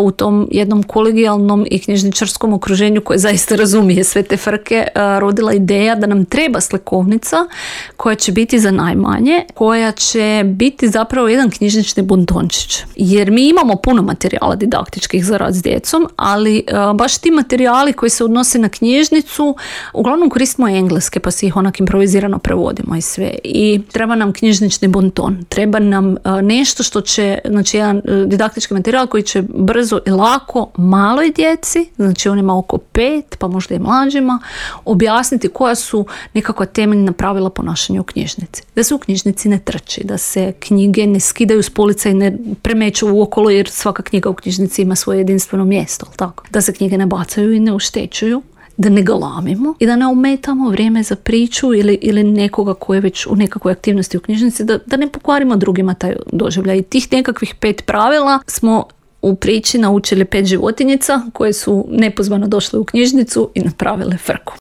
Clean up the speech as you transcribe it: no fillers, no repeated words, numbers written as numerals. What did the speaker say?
u tom jednom kolegijalnom i knjižničarskom okruženju koje zaista razumije sve te frke, rodila ideja da nam treba slikovnica koja će biti za najmanje, koja će biti zapravo jedan knjižnični buntončić. Jer mi imamo puno materijala didaktičkih za rad s djecom, ali baš ti materijali koji se odnose na knjižnicu, uglavnom koristimo engleske, pa si ih onak improvizirano prevodimo i sve. I treba nam knjižnični bunton, treba nam nešto što će, znači jedan didaktički materijal koji će brzo i lako maloj djeci, znači onima oko 5, pa možda i mlađima, objasniti koja su nekakva temeljna pravila ponašanja u knjižnici. Da se u knjižnici ne trči, da se knjige ne skidaju s polica i ne premeću uokolo, jer svaka knjiga u knjižnici ima svoje jedinstveno mjesto, tako? Da se knjige ne bacaju i ne oštećuju, da ne galamimo i da ne ometamo vrijeme za priču ili nekoga koji je već u nekakvoj aktivnosti u knjižnici, da ne pokvarimo drugima taj doživljaj. I tih nekakvih 5 pravila smo u priči naučili 5 životinjica koje su nepozvano došle u knjižnicu i napravile frku.